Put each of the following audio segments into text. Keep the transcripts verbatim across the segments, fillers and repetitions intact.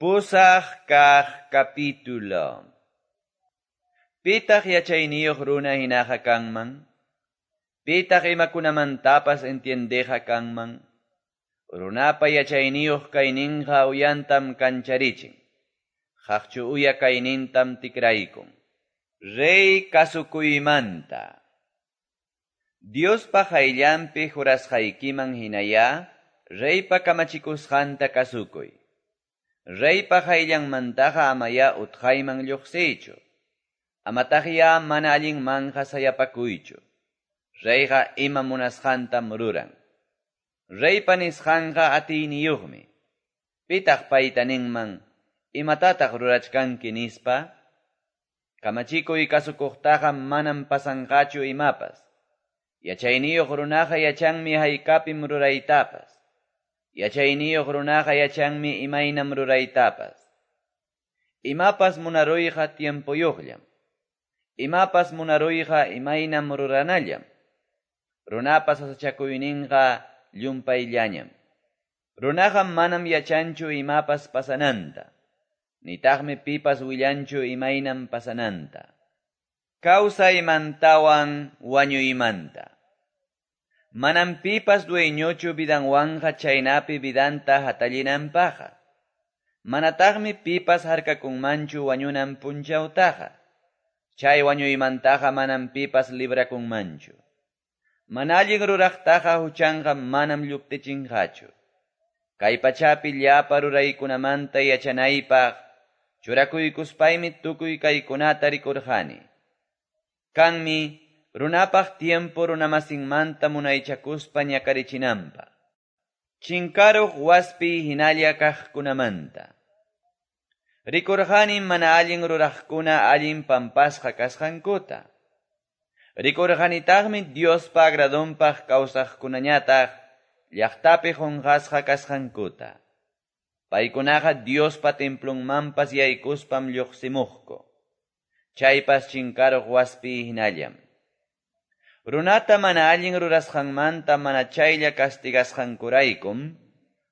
Pusaq kaq capítulo. Pitaq yachayniyuq runa hinaqa kanman? Pitaq imakunamantapas entiendeqa kanman? Runapa yachayniyuq kayninqa uyantam kancharichin. Qaqchu uya kaynintam tikraykun. Rey kasukuymanta. Diospa qayllanpi jurasqaykiman hinaya, reypa kamachikusqanta kasukuy. Reypa qayllanmantaqa amaya utqayman lluqsiychu. Amataqya mana allinmanja sayapakuychu. Reyqa ima munasqantam ruran. Reypa nisqanqa atiyniyuqmi. Pitaq payta ninman, imatataq rurachkanki nispa? Kamachikuy kasukuqtaqa manam pasanqachu imapas. Yachayniyuq runaqa yachanmi haykapim ruraytapas. Yachayniyuq runaqa yachanmi imaynam ruraytapas. Imapas munaruyqa tiempoyuqllam. Imapas munaruyqa imaynam ruranallam. Runapas sasachakuyninqa llumpayllañam. Runaqa manam yachanchu imapas pasananta. Nitaqmi pipas willanchu imaynam pasananta. Kawsaymantawan wañuymanta. Manam pipas dueñochu vidanwanja chaynapi vidanta hatallinanpaqa. Manataqmi pipas harkakunmanchu wañunan punchawtaqa. Chay wañuymantaqa manam pipas librakunmanchu. Mana allin ruraqtaqa huchanqa manam lluptichinqachu. Kay pachapi llapa ruraykunamanta yachanaypaq churakuykuspaymi tukuy kaykunata rikurqani. Kanmi runapaq tiempo runamasinmanta munaychakuspa ñakarichinanpaq. Chinkaruq waspi hinalla kaqkunamanta. Rikurqani mana allin ruraqkuna allin pampasqa kasqankuta. Rikurqanitaqmi Diospa agradonpaq kawsaqkunañataq llaqtapi qunqasqa kasqankuta. Paykunaqa Diospa templonmanpas yaykuspam lluqsimuqku. Chaypas chinkaruq waspi hinallam. Runata mana allin rurasqanmanta mana chaylla castigasqankuraykum,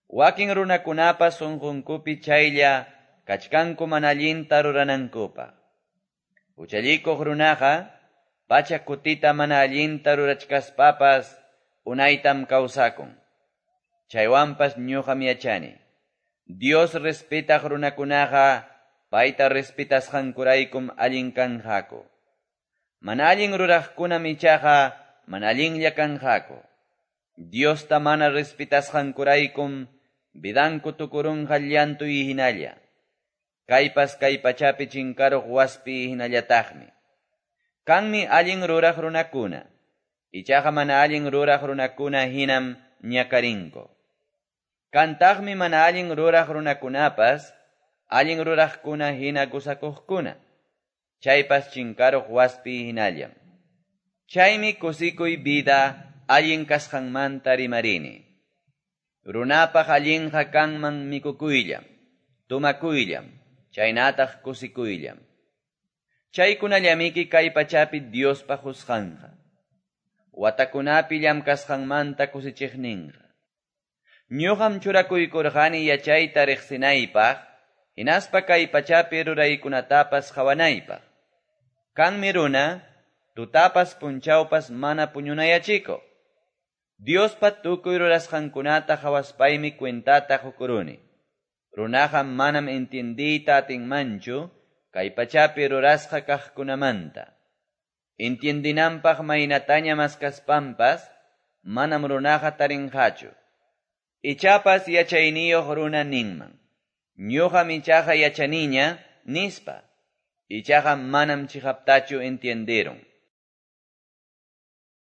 wakin runakunapas sunqunkupi chaylla kachkanku mana allinta ruranankupaq. Huchallikuq runaqa pacha kutita mana allinta rurachkaspapas unaytam kawsakun. Chaywanpas ñuqam yachani. Dios respetaq runakunaqa payta respetasqankuraykum allin kanqaku. Mana allin ruraqkunam ichaqa mana allinlla kanqaku. Diosta mana respetasqankuraykum vidanku tukurunqa llantuy hinalla. Kaypas kay pachapi chinkaruq waspi hinallataqmi. Kanmi allin ruraq runakuna. Ichaqa mana allin ruraq runakuna hinam ñakarinku. Kantaqmi mana allin ruraq runakunapas allin ruraqkuna hina gusakuqkuna. Chaypas chinkaruq waspi hinallam. Chaymi kusikuy vida allin kasqanmanta rimarini. Runapaq allinqa kanman mikukuyllam, tumakuyllam, chaynataq kusikuyllam. Chaykunallamiki kay pachapi Diospa qusqanqa. Watakunapi llamkasqanmanta kusichiqninqa. Ñuqam churakuykurqani yachayta riqsinaypaq, hinaspa kay pachapi ruraykunatapas qawanaypaq. Kanmi runa, tutapas punchawpas mana puñunayachiko. Diospa tukuy rurasqankunata qawaspaymi cuentata qukuruni. Runaqa manam entiendiyta atinmanchu kay pachapi rurasqa kaqkunamanta. Entiendinanpaq maynataña maskaspanpas manam runaqa tarinqachu. Ichapas yachayniyuq runa ninman. Ñuqam ichaqa yachaniña nispa. Ichaqa manam chiqaptachu entienderun.